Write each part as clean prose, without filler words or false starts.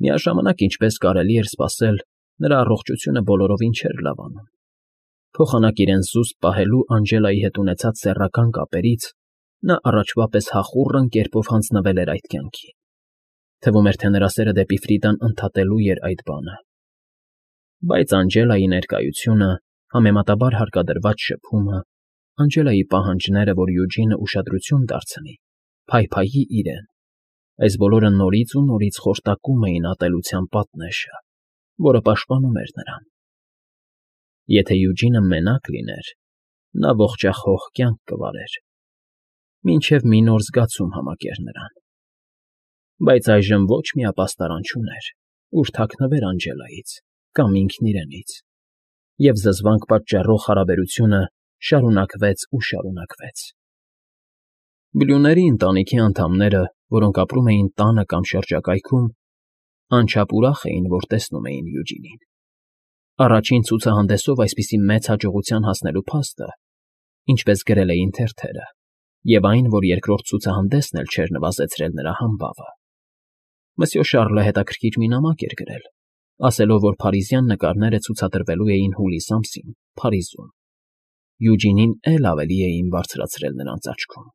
Միաժամանակ, ինչպես կարելի էր սպասել, նրա առողջությունը բոլորովին չէր լավանում. փոխանակ իրեն զուսպ պահելու Անջելայի հետ ունեցած սեռական կապերից նա առաջվա պես հախուռն կերպով հանձնվել էր այդ կյանքին. թվում էր, թե նրա սերը դեպի Ֆրիդան ընդհատելու էր այդ բանը։ Բայց Անջելայի ներկայությունը, համեմատաբար հարկադրված շփումը, Անջելայի պահանջները, որ Յուջինը ուշադրություն դարձնի, փայփայի իրեն, այս բոլորը նորից ու նորից խորտակում էին ատելության պատնեշը, որը պաշտպանում էր նրան։ Եթե Յուջինը մենակ լիներ, նա ողջախոհ կյանք կվարեր, մինչև մի նոր զգացում համակեր նրան։ Բայց այժմ ոչ մի ապաստարան չուներ, ուր թաքնվեր Անջելայից կամ ինքն իրենից, և զզվանք պատճառող հարաբերությունը շարունակվեց ու շարունակվեց։ Բլյուների ընտանիքի անդամները, որոնք ապրում էին տանը կամ շրջակայքում, անչափ ուրախ էին, որ տեսնում էին Յուջինին։ Առաջին ցուցահանդեսով այսպիսի մեծ հաջողության հասնելու փաստը, ինչպես գրել էին թերթերը, և այն, որ երկրորդ ցուցահանդեսն էլ չէր նվազեցրել նրա համբավը։ Մսյո Շառլը հետաքրքիր մի նամակ էր գրել, ասելով, որ փարիզյան նկարները ցուցադրվելու էին հուլիս ամսին, Փարիզում։ Յուջինին էլ ավելի էին բարձրացրել նրանց աչքում։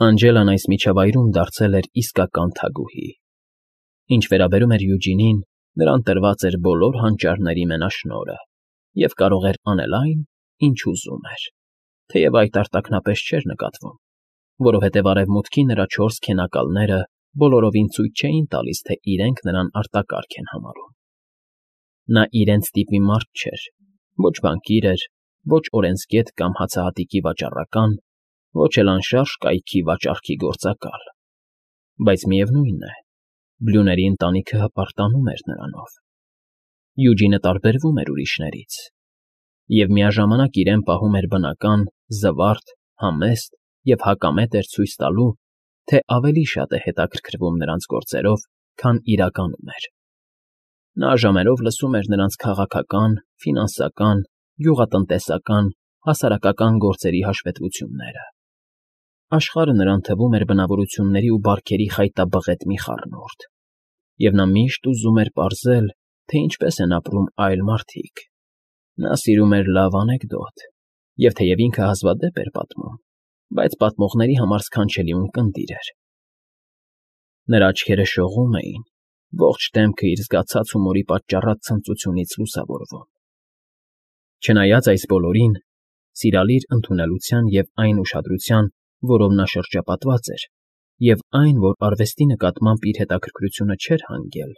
Անջելան այս միջավայրում դարձել էր իսկական թագուհի։ Ինչ վերաբերում էր Յուջինին, նրան տրված էր բոլոր հանճարների մենաշնորհը և կարող էր անել այն, ինչ ուզում էր, թեև այդ արտաքնապես չէր նկատվում, որովհետև արևմուտքի նրա 4 քենակալները բոլորովին ցույց չէին տալիս, թե իրենք նրան արտակարգ են համարում։ Նա իրենց տիպի մարդ չէր, ոչ բանկիր էր, ոչ օրենսգետ կամ հացահատիկի վաճառական, ոչ էլ անշարժ կայքի վաճառքի գործակալ։ Բայց միևնույն է, Բլյուների ընտանիքը հպարտանում էր նրանով։ Յուջինը տարբերվում էր ուրիշներից և միաժամանակ իրեն պահում էր բնական, զվարթ, համեստ և հակամետ էր ցույց տալու, թե ավելի շատ է հետաքրքրվում նրանց գործերով, քան իրականում էր։ Նա ժամերով լսում էր նրանց քաղաքական, ֆինանսական, գյուղատնտեսական, հասարակական գործերի հաշվետվությունները։ Աշխարհը նրան թվում էր բնավորությունների ու բարքերի խայտաբղետ մի խառնուրդ, և նա միշտ ուզում էր պարզել, թե ինչպես են ապրում այլ մարդիկ։ Նա սիրում էր լավ անեկդոտ, և թեև ինքը հազվադեպ էր պատմում, բայց պատմողների համար սքանչելի ունկնդիր էր։ Նրա աչքերը շողում էին, ողջ դեմքը իր զգացած հումորի պատճառած ցնծությունից լուսավորվում։ Չնայած այս բոլորին, սիրալիր ընդունելության և այն ուշադրության, որով նա շրջապատված էր, և այն, որ արվեստի նկատմամբ իր հետաքրքրությունը չէր հանգել,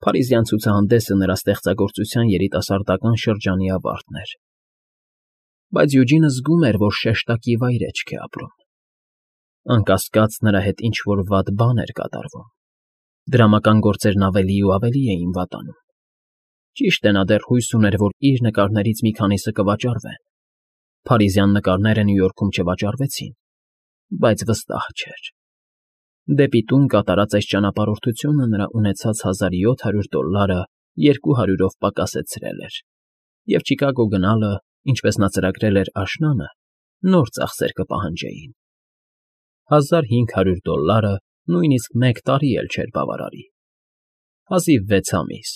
Փարիզյան ցուցահանդեսը նրա ստեղծագործության երիտասարդական շրջանի ավարտն էր։ Բայց Յուջինը զգում էր, որ շեշտակի վայրէջք է ապրում։ Անկասկած նրա հետ ինչ֊որ վատ բան էր կատարվում։ Դրամական գործերն ավելի ու ավելի էին վատանում։ Ճիշտ է, նա դեռ հույս ուներ, որ իր նկարներից մի քանիսը կվաճառվեն։ Փարիզյան նկարները Նյու Յորքում չվաճառվեցին, բայց վստահ չէր։ Դեպի տուն կատարած այս ճանապարհորդությունը նրա ունեցած $1700 200-ով պակասեցրել էր, և Չիկագո գնալը, ինչպես նա ծրագրել էր աշնանը, նոր ծախսեր կպահանջեին։ $1500 նույնիսկ մեկ տարի էլ չէր բավարարի։ Հազիվ 6 ամիս,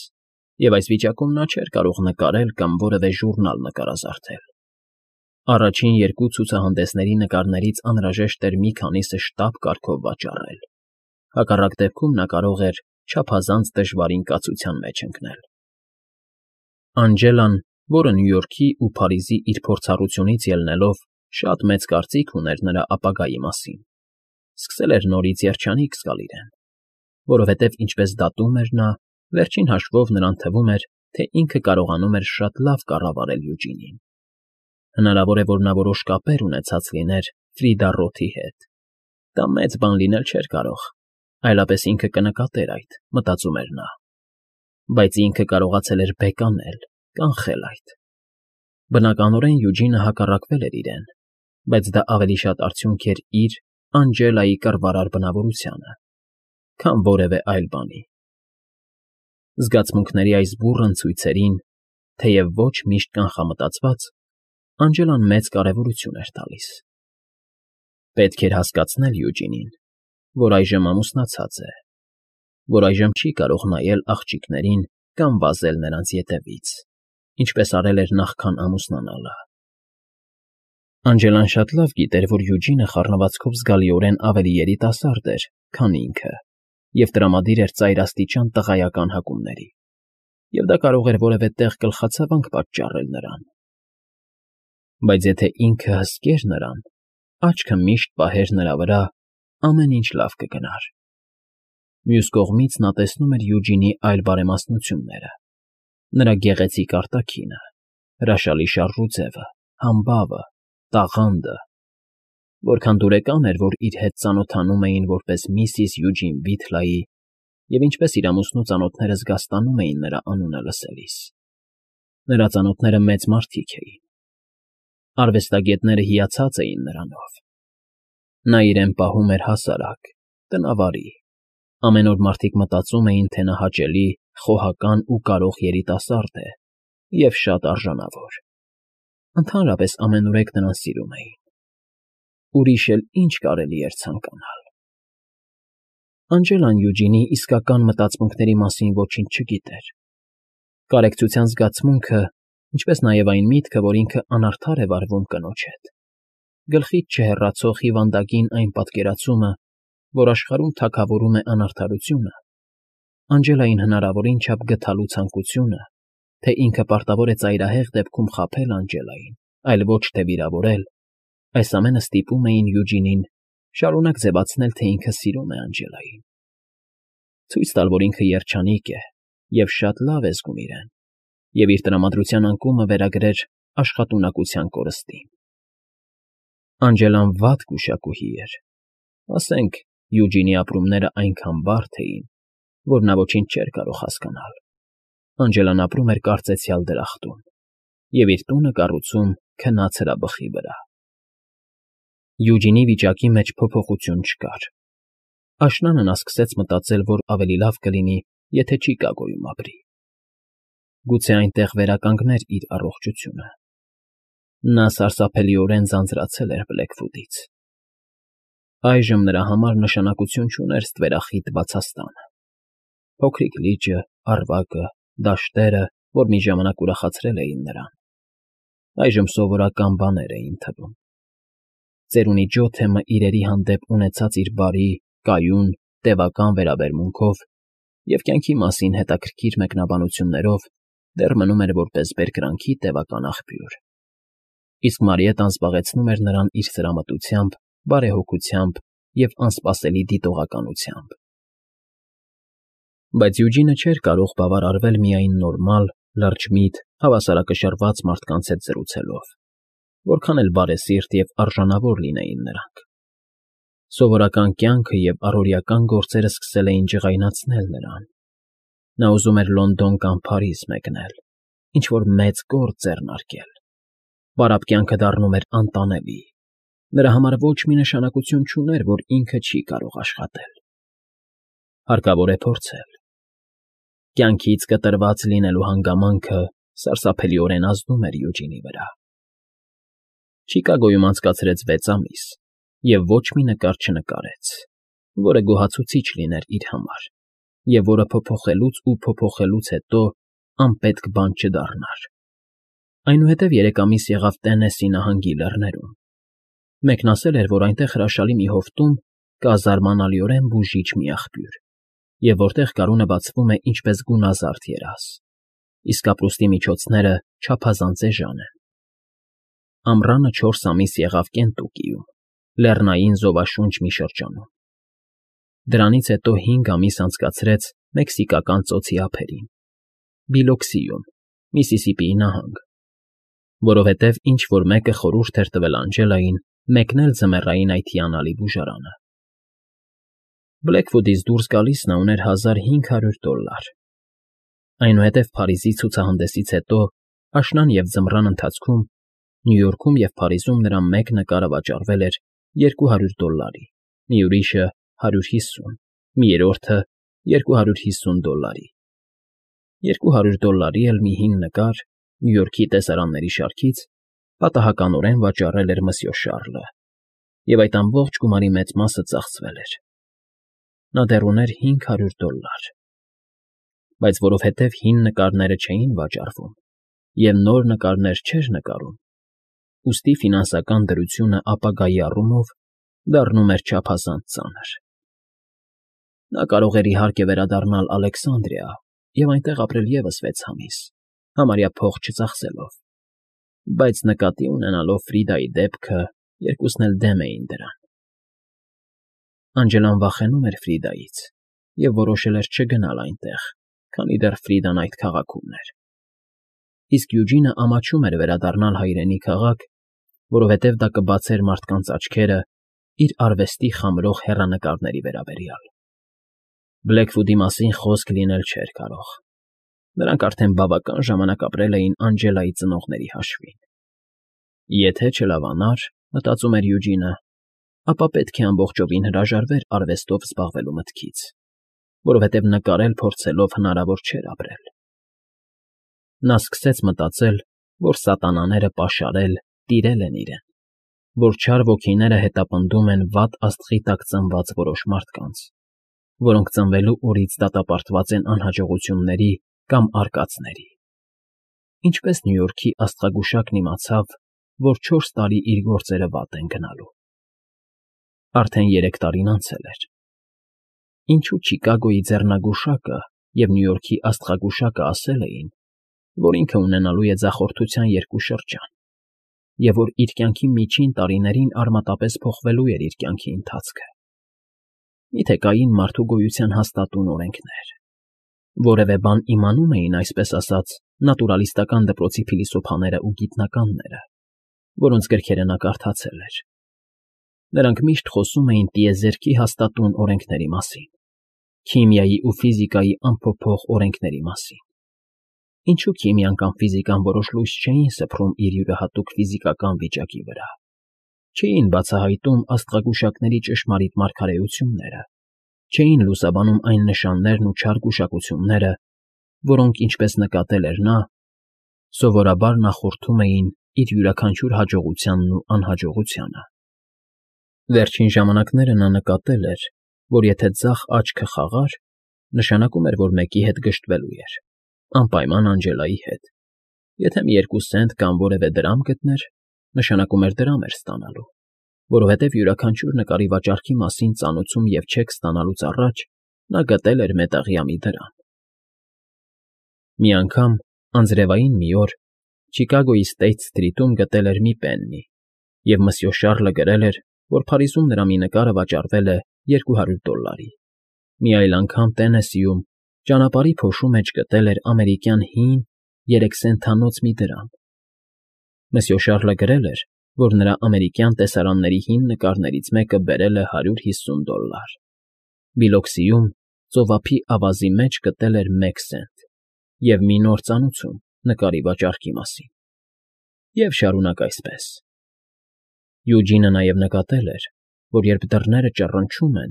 և այս վիճակում նա չէր կարող նկարել կամ որևէ ժուրնալ նկարազարդել։ Առաջին 2 ցուցահանդեսների նկարներից անհրաժեշտ էր մի քանիսը շտապ կարգով վաճառել, հակառակ դեպքում նա կարող էր չափազանց դժվար ինկացության մեջ ընկնել։ Անջելան, որը Նյու Յորքի ու Փարիզի իր փորձառությունից ելնելով շատ մեծ կարծիք ուներ նրա ապագայի մասին, սկսել էր նորից երջանիկ զգալ իրեն, որովհետև, ինչպես դատում էր նա, վերջին հաշվով նրան թվում էր, թե ինքը կարողանում էր շատ լավ կառավարել Յուջինին։ Հնարավոր է, որ նա որոշ կապեր ունեցած լիներ Ֆրիդա Ռոթի հետ։ Դա մեծ բան լինել չէր կարող, այլապես ինքը կնկատեր այդ, մտածում էր նա։ Բայց ինքը կարողացել էր բեկանել, կանխել այդ։ Բնականորեն Յուջինը հակառակվել էր իրեն, բայց դա ավելի շատ արդյունք էր իր Անջելայի կռվարար բնավորությանը, քան որևէ այլ բանի։ Զգացմունքների այս բուռն ցույցերին, թեև ոչ միշտ կանխամտածված, Անջելան մեծ կարևորություն էր տալիս։ Պետք էր հասկացնել Յուջինին, որ այժմ ամուսնացած է։ որ այժմ չի կարող նայել աղջիկներին կամ վազել նրանց ետևից, ինչպես արել էր նախքան ամուսնանալը։ Անջելան շատ լավ գիտեր, որ Յուջինը խառնվածքով զգալիորեն ավելի երիտասարդ էր, քան ինքը, և տրամադիր էր ծայրաստիճան տղայական հակումների, և դա կարող էր որևէ տեղ գլխացավանք պատճառել նրան։ Բայց եթե ինքը հսկեր նրան, աչքը միշտ պահեր նրա վրա, ամեն ինչ լավ կգնար։ Մյուս կողմից նա տեսնում էր Յուջինի այլ բարեմաստնությունները. նրա գեղեցիկ արտաքինը, հրաշալի շարժուձևը, համբավը, տաղանդը, որքան դուրեկան էր, որ իր հետ ծանոթանում էին որպես միսիս Յուջին Վիթլայի և ինչպես իր ամուսնու ծանոթները զգաստանում էին նրա անունը լսելիս։ Նրա ծանոթները մեծ մարդիկ էին։ Արվեստագետները հիացած էին նրանով։ Նա իրեն պահում էր հասարակ, տնավարի։ Ամեն օր մարդիկ մտածում էին, թե նա հաճելի, խոհական ու կարող երիտասարդ է և շատ արժանավոր։ Ընդհանրապես ամենուրեք նրան սիրում էին։ Ուրիշ էլ ինչ կարելի էր ցանկանալ։ Անջելան Յուջինի իսկական մտածմունքների մասին ոչինչ չգիտեր։ Կարեկցության զգացմունքը, ինչպես նաև այն միտքը, որ ինքը անարդար է վարվում կնոջ հետ, գլխից չհեռացող հիվանդագին այն պատկերացումը, որ աշխարհում թագավորում է անարդարությունը, Անջելային հնարավորին չափ գթալու ցանկությունը, թե ինքը պարտավոր է ծայրահեղ դեպքում խաբել Անջելային, այլ ոչ թե վիրավորել, այս ամենը ստիպում էին Յուջինին շարունակ ձևացնել, թե ինքը սիրում է Անջելային, ցույց տալ, որ ինքը երջանիկ է և շատ լավ է զգում իրեն, և իր տրամադրության անկումը վերագրեր աշխատունակության կորստին։ Անջելան վատ գուշակուհի էր, ասենք, Յուջինի ապրումները այնքան բարդ էին, որ նա ոչինչ չէր կարող հասկանալ։ Անջելան ապրում էր կարծեցյալ դրախտում և իր տունը կառուցում քնած հրաբխի վրա։ Յուջինի վիճակի մեջ փոփոխություն չկար։ Աշնանը նա սկսեց մտածել, որ ավելի լավ կլինի, եթե Չիկագոյում ապրի։ Գուցե այնտեղ վերականգներ իր առողջությունը։ Նա սարսափելիորեն ձանձրացել էր Բլեքվուդից։ Այժմ նրա համար նշանակություն չուներ ստվերախիտ Բացաստանը։ Փոքրիկ լիճը, առվակը, դաշտերը, որ մի ժամանակ ուրախացրել էին նրան, այժմ սովորական բաներ էին թվում։ Ծերունի Ջոթեմը իրերի հանդեպ ունեցած իր բարի, կայուն, տևական վերաբերմունքով և կյանքի մասին հետաքրքիր մեկնաբանություններով դեռ մնում էր որպես բերկրանքի տևական աղբյուր, իսկ Մարիետան զբաղեցնում էր նրան իր սրամտությամբ, բարեհոգությամբ և անսպասելի դիտողականությամբ։ Բայց Յուջինը չէր կարող բավարարվել միայն նորմալ, լրջմիտ, հավասարակշռված մարդկանց հետ զրուցելով, որքան էլ բարեսիրտ և արժանավոր լինեին նրանք։ Սովորական կյանքը և առօրեական գործերը սկսել էին ջղայնացնել նրան։ Նա ուզում էր Լոնդոն կամ Փարիզ մեկնել, ինչ֊որ մեծ գործ ձեռնարկել։ Պարապ կյանքը դառնում էր անտանելի։ Նրա համար ոչ մի նշանակություն չուներ, որ ինքը չի կարող աշխատել։ Հարկավոր է փորձել։ Կյանքից կտրված լինելու հանգամանքը սարսափելիորեն ազդում էր Յուջինի վրա։ Չիկագոյում անցկացրեց 6 ամիս և ոչ մի նկար չնկարեց, որը գոհացուցիչ լիներ իր համար, և որը փոփոխելուց հետո անպետք բան չդառնար։ Այնուհետև 3 ամիս եղավ Տեննեսի նահանգի լեռներում։ Մեկն ասել էր, որ այնտեղ հրաշալի մի հովտում կա զարմանալիորեն բուժիչ մի աղբյուր, և որտեղ գարունը բացվում է ինչպես գունազարդ երազ, իսկ ապրուստի միջոցները չափազանց էժան են։ Ամռանը 4 ամիս եղավ Կենտուկիում, լեռնային զովաշունչ մի շրջանում։ Դրանից հետո 5 ամիս անցկացրեց մեքսիկական ծոցի ափերին, Բիլոքսիում, Միսիսիպիի նահանգ, որովհետև ինչ֊որ մեկը խորհուրդ էր տվել Անջելային մեկնել ձմեռային այդ հիանալի բուժարանը։ Բլեքվուդից դուրս գալիս նա ուներ $1500։ Այնուհետև Փարիզի ցուցահանդեսից հետո աշնան և ձմռան ընթացքում Նյու Յորքում և Փարիզում նրա մեկ նկարը վաճառվել էր $200, մի ուրիշը 150, մի երրորդը $250։ $200 էլ մի հին նկար Նյու Յորքի տեսարանների շարքից պատահականորեն վաճառել էր Մսյո Շառլը, և այդ ամբողջ գումարի մեծ մասը ծախսվել էր։ նա դեռ ուներ $500, բայց որովհետև հին նկարները չէին վաճառվում և նոր նկարներ չէր նկարում, ուստի ֆինանսական դրությունը ապագայի առումով դառնում էր չափազանց ծանր։ Նա կարող էր, իհարկե, վերադառնալ Ալեքսանդրիա և այնտեղ ապրել ևս 6 ամիս, համարյա փող չծախսելով, բայց նկատի ունենալով Ֆրիդայի դեպքը, երկուսն էլ դեմ էին դրան։ Անջելան վախենում էր Ֆրիդայից և որոշել էր չգնալ այնտեղ, քանի դեռ Ֆրիդան այդ քաղաքում էր։ Իսկ Յուջինը ամաչում էր վերադառնալ հայրենի քաղաք, որովհետև դա կբացեր մարդկանց աչքերը իր արվեստի խամրող հեռանկարների վերաբերյալ։ Բլեքվուդի մասին խոսք լինել չէր կարող։ Նրանք արդեն բավական ժամանակ ապրել էին Անջելայի ծնողների հաշվին։ Եթե չլավանար, մտածում էր Յուջինը, ապա պետք է ամբողջովին հրաժարվեր արվեստով զբաղվելու մտքից, որովհետև նկարել փորձելով հնարավոր չէր ապրել։ Նա սկսեց մտածել, որ սատանաները պաշարել, տիրել են իրեն, որ չար ոգիները հետապնդում են վատ աստղի տակ ծնված որոշ մարդկանց, որոնք ծնվելու օրից դատապարտված են անհաջողությունների կամ արկածների։ Ինչպես Նյու Յորքի աստղագուշակն իմացավ, որ 4 տարի իր գործերը վատ են գնալու։ Արդեն 3 տարին անցել էր։ Ինչու Չիկագոյի ձեռնագուշակը և Նյու Յորքի աստղագուշակը ասել էին, որ ինքը ունենալու է ձախորդության 2 շրջան, և որ իր կյանքի միջին տարիներին արմատապես փոխվելու էր իր կյանքի ընթացքը։ Միթե կային մարդու գոյության հաստատուն օրենքներ։ Որևէ բան իմանում էին, այսպես ասած, նատուրալիստական դպրոցի փիլիսոփաները ու գիտնականները, որոնց գրքերը նա կարդացել էր։ Նրանք միշտ խոսում էին տիեզերքի հաստատուն օրենքների մասին, քիմիայի ու ֆիզիկայի անփոփոխ օրենքների մասին։ Ինչու քիմիան կամ ֆիզիկան որոշ լույս չէին սփռում իր յուրահատուկ ֆիզիկական վիճակի վրա, չէին բացահայտում աստղագուշակների ճշմարիտ մարգարեությունները, չէին լուսաբանում այն նշաններն ու չար գուշակությունները, որոնք, ինչպես նկատել էր նա, սովորաբար նախորդում էին իր յուրաքանչյուր հաջողությանն ու անհաջողությանը։ Վերջին ժամանակները նա նկատել էր, որ եթե ձախ աչքը խաղար, նշանակում էր, որ մեկի հետ գժտվելու էր, անպայման Անջելայի հետ։ Եթե մի 2 սենտ կամ որևէ դրամ գտներ, նշանակում էր դրամ էր ստանալու, որովհետև յուրաքանչյուր նկարի վաճառքի մասին ծանուցում և չեք ստանալուց առաջ նա գտել էր մետաղյա մի դրամ։ Մի անգամ, անձրևային մի օր, Չիկագոյի Սթեյթ Սթրիթում գտել էր մի պեննի, և մսյո Շառլը գրել էր, որ Փարիզում նրա մի նկարը վաճառվել է $200։ Մի այլ անգամ Տենեսիում ճանապարհի փոշու մեջ գտել էր ամերիկյան հին 3 սենթանոց մի դրամ։ Մսյո Շառլը գրել էր, որ նրա ամերիկյան տեսարանների հին նկարներից մեկը բերել է $150։ Բիլոքսիում ծովափի ավազի մեջ գտել էր 1 սենտ և մի նոր ծանուցում նկարի վաճառքի մասին։ Եվ շարունակ այսպես։ Յուջինը նաև նկատել էր, որ երբ դռները ճռնչում են,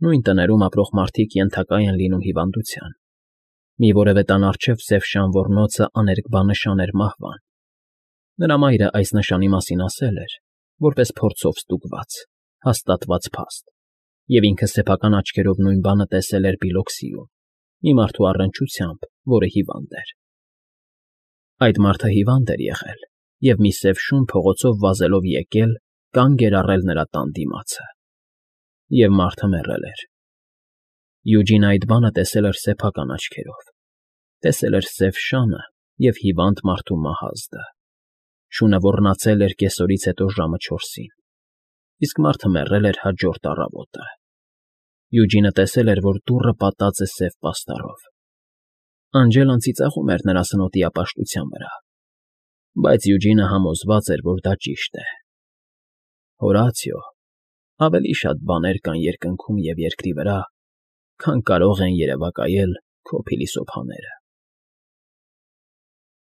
նույն տներում ապրող մարդիկ ենթակա են լինում հիվանդության։ Մի որևէ տան առջև սև շան ոռնոցը աներկբա նշան էր մահվան։ Նրա մայրը այս նշանի մասին ասել էր, որպես փորձով ստուգված, հաստատված փաստ, և ինքը սեփական աչքերով նույն բանը տեսել էր Բիլոքսիում, մի մարդու առնչությամբ, որը հիվանդ էր։ Այդ մարդը հիվանդ էր եղել և մի սև շուն փողոցով վազելով եկել, կանգ էր առել նրա տան դիմացը։ Եվ մարդը մեռել էր։ Յուջինը այդ բանը տեսել էր սեփական աչքերով, տեսել էր սև շանը և հիվանդ մարդու մահազդը։ Շունը ոռնացել էր կեսօրից հետո ժամը 4-ին, իսկ մարդը մեռել էր հաջորդ առավոտը։ Յուջինը տեսել էր, որ դուռը պատած է սև պաստառով։ Անջելան ծիծաղում էր նրա սնոտի ապաշտության վրա, բայց Յուջինը համոզված էր, որ դա ճիշտ է։ Հորացիո, ավելի շատ բաներ կան երկնքում և երկրի վրա, քան կարող են երևակայել քո փիլիսոփաները։